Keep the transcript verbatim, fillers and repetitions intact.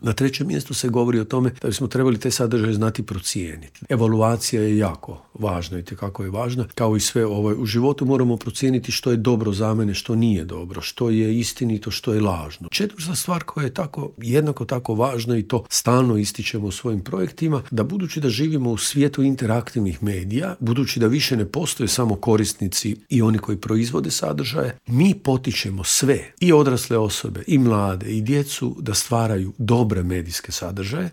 Na trećem mjestu se govori o tome da bismo trebali te sadržaje znati procijeniti. Evaluacija je jako važna i tekako je važna. Kao i sve ovo u životu moramo procijeniti što je dobro za mene, što nije dobro, što je istinito, što je lažno. Četvrta stvar koja je tako, jednako tako važna i to stalno ističemo u svojim projektima, da budući da živimo u svijetu interaktivnih medija, budući da više ne postoje samo korisnici i oni koji proizvode sadržaje, mi potičemo sve, i odrasle osobe, i mlade, i djecu da stvaraju dobre medijske sadržaje,